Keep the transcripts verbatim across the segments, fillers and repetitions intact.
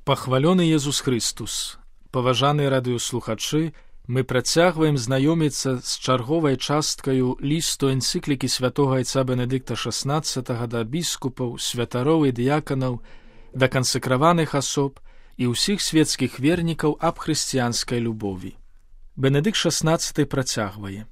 Пахвалёны Езус Христус! Паважаныя радыёслухачы, мы працягваем знаёміцца з чарговай часткаю лісту энцыклікі святога айца Бенедыкта шаснаццатага да біскупаў, святароў і дыяканаў, да кансакраваных асоб і ўсіх светскіх вернікаў аб хрысціянскай любові. Бенедыкт шаснаццаты працягвае.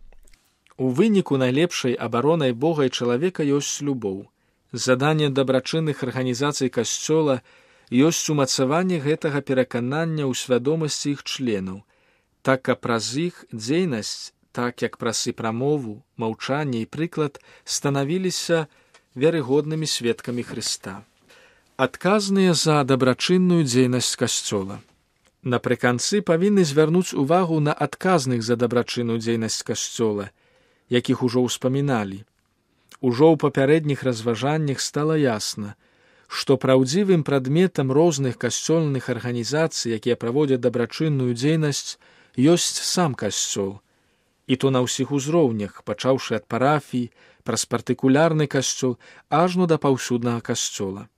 У выніку найлепшай абаронай Бога і чалавека ёсць любоў. Заданне дабрачынных арганізацый касцёла ёсць умацаванне гэтага пераканання ў свядомасці іх членаў, так каб праз іх дзейнасць, так як праз і прамову, маўчанне і прыклад станавіліся верагоднымі сведкамі Хрыста. Адказныя за дабрачынную дзейнасць касцёла. Напрыканцы павінны звярнуць увагу на адказных за дабрачынную дзейнасць касцёла, якіх ужо ўспаміналі. Ужо ў папярэдніх разважаннях стала ясна, што праўдзівым прадметам розных касцёльных арганізацый, якія праводзяць дабрачынную дзейнасць, ёсць сам касцёл, і то на ўсіх узроўнях, пачаўшы ад парафій, праз партыкулярны касцёл, ажно да паўсюднага касцёла.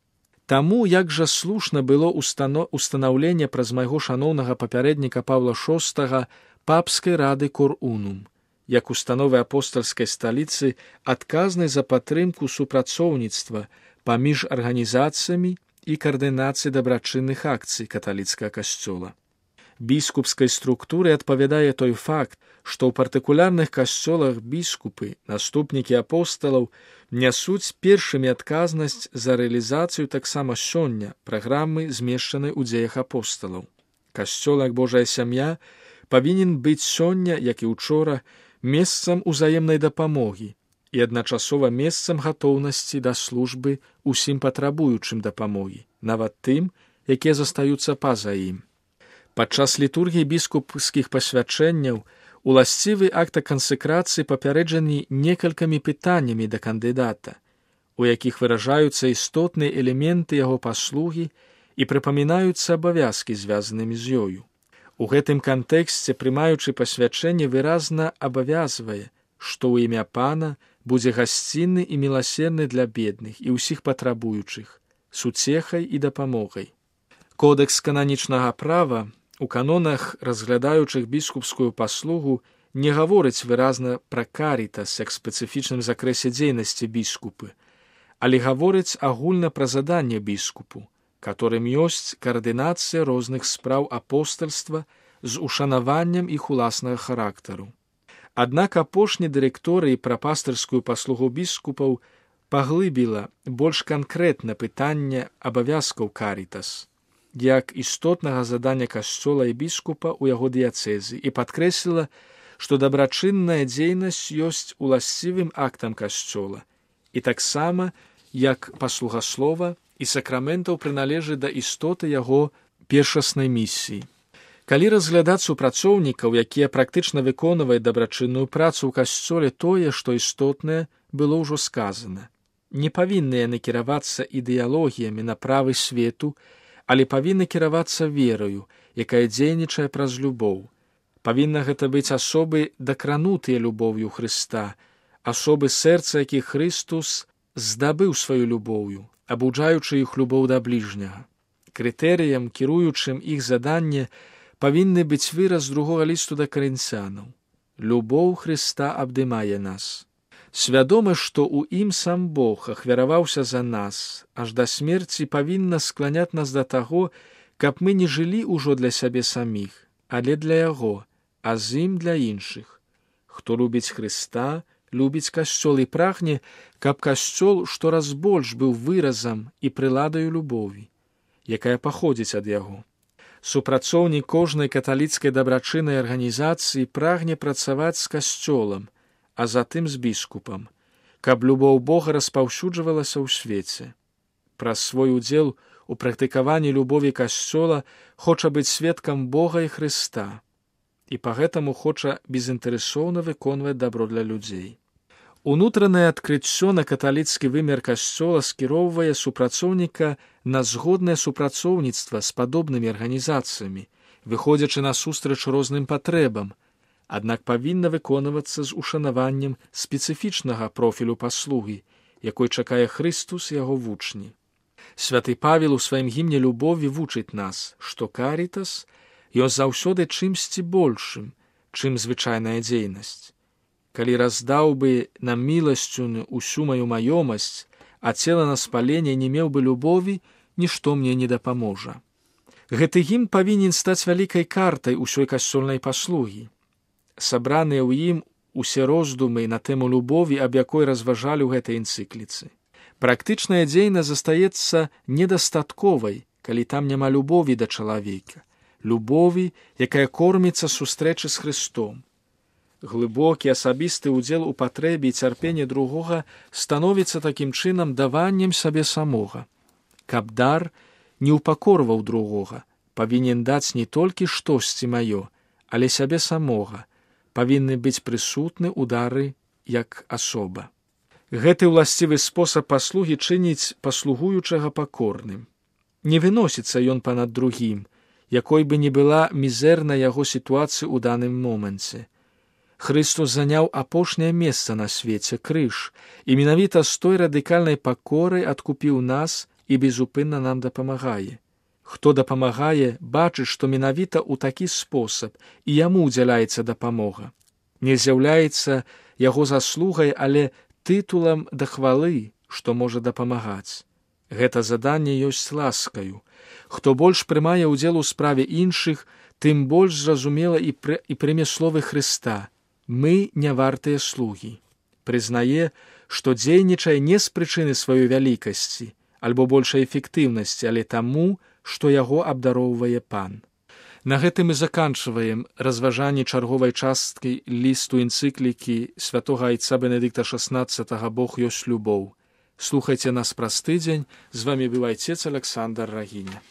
Таму, як жа слушна было устано... устанаўленне праз майго шаноўнага папярэдніка Паўла шостага папскай рады Кор-Унум, як установы апостальскай сталіцы, адказнай за падтрымку супрацоўніцтва паміж арганізацыямі і каардынацыі дабрачынных акцый каталіцкага касцёла. Біскупскай структуры адпавядае той факт, што ў партыкулярных касцёлах біскупы, наступнікі апосталаў, нясуць першымі адказнасць за рэалізацыю таксама сёння праграмы, змешчанай у дзеях апосталаў. Касцёл, як Божая сям'я, павінен быць сёння, як і учора, месцам узаемнай дапамогі і адначасова месцам гатоўнасці да службы усім патрабуючым дапамогі, нават тым, якія застаюцца па-за ім. Падчас літургіі біскупскіх пасвячэнняў уласцівы акта кансэкрацыі папярэджаны некалькімі пытаннямі да кандыдата, у якіх выражаюцца істотныя элементы яго паслугі і прыпамінаюцца абавязкі, звязанымі з ёю. У гэтым кантэксце, прымаючы пасвячэнне, выразна абавязвае, што ў імя Пана будзе гасцінны і міласерны для бедных і ўсіх патрабуючых, суцехай і дапамогай. Кодэкс кананічнага права у канонах, разглядаючых біскупскую паслугу, не гаворыць выразна пра карітас як спецыфічным закрэсе дзейнасці біскупы, але гаворыць агульна пра заданне біскупу, которым ёсць каардынацыя розных спраў апостальства з ушанаваннем іх уласнага характару. Аднак апошні дырэкторый пра пастырскую паслугу біскупаў паглыбіла больш канкрэтна пытанне абавязкаў карітас, як істотнага задання касцёла і біскупа ў яго дыяцэзы, і падкрэсліла, што дабрачынная дзейнасць ёсць уласцівым актам касцёла, і таксама, як паслуга слова і сакраментаў прыналежыць да істоты яго першаснай місіі. Калі разглядаць супрацоўнікаў, якія практычна выконваюць дабрачынную працу ў касцёле, тое, што істотнае, было ўжо сказана. Не павінны яны кіравацца ідэалогіямі на правы свету, але павінны кіравацца верою, якая дзейнічае праз любоў. Павінна гэта быць асобы, дакранутыя любоўю Хрыста, асобы, сэрца якіх Христус здабыў сваю любоўю, абуджаючы іх любоў да бліжняга. Крытэрыям, кіруючым іх заданне, павінны быць выраз другога лісту да карынцянаў. Любоў Хрыста абдымае нас. Свядома, што ў ім сам Бог ахвяраваўся за нас, аж да смерці павінна скланяць нас да таго, каб мы не жылі ўжо для сябе саміх, але для яго, а з ім для іншых. Хто любіць Хрыста, любіць касцёл і прагне, каб касцёл штораз больш быў выразам і прыладаю любові, якая паходзіць ад яго. Супрацоўнік кожнай каталіцкай дабрачыннай арганізацыі прагне працаваць з касцёлам, а затым з біскупам, каб любоў Бога распаўсюджвалася ў свеце. Праз свой удзел у практыкаванні любові касцёла хоча быць сведкам Бога і Хрыста, і па гэтаму хоча безінтарэсоўна выконваць дабро для людзей. Унутранае адкрыццё на каталіцкі вымер касцёла скіроўвае супрацоўніка на згоднае супрацоўніцтва з падобнымі арганізацыямі, выходзячы насустрач розным патрэбам, аднак павінна выконвацца з ушанаваннем спецыфічнага профілю паслугі, якой чакае Христус і яго вучні. Святы Павел у сваім гімне любові вучыць нас, што карітас ёсць заўсёды чымсьці большым, чым звычайная дзейнасць. Калі раздаў бы нам міласцю усю маю маёмасць, а цела на спаленне не меў бы любові, нішто мне не дапаможа. Гэты гімн павінен стаць вялікай картай усёй касцёльнай паслугі. Сабраныя ў ім усе роздумы на тэму любові, аб якой разважалі ў гэтай энцыкліцы. Практычная дзейнасць застаецца недастатковай, калі там няма любові да чалавека, любові, якая корміцца сустрэчы з Христом. Глыбокі асабісты ўдзел у патрэбе і цярпенні другога становіцца такім чынам даваннем сабе самога. Каб дар не ўпакорваў другога, павінен даць не толькі штосьці маё, але сябе самога, павінны быць прысутны ў дары як асоба. Гэты ўласцівы спосаб паслугі чыніць паслугуючага пакорным. Не выносіцца ён панад другім, якой бы не была мізэрна яго сітуацыі ў даным моманце. Хрыстус заняў апошняе месца на свеце, крыж, і менавіта з той радыкальнай пакорай адкупіў нас і безупынна нам дапамагае. Хто дапамагае, бачыць, што менавіта ў такі спосаб і яму ўдзяляецца дапамога. Не з'яўляецца яго заслугай, але тытулам да хвалы, што можа дапамагаць. Гэта заданне ёсць ласкаю. Хто больш прымае ўдзел у справе іншых, тым больш зразумела і, пры... і прыме словы Хрыста. Мы не вартыя слугі. Прызнае, што дзейнічае не з прычыны сваёй вялікасці, альбо большай эфектыўнасці, але таму, што яго абдароўвае Пан. На гэтым і заканчваем разважанні чарговай часткі лісту энцыклікі святога айца Бенедыкта шаснаццатага «Бог ёсць любоў». Слухайце нас праз тыдзень. З вамі быў айцец Александр Рагіня.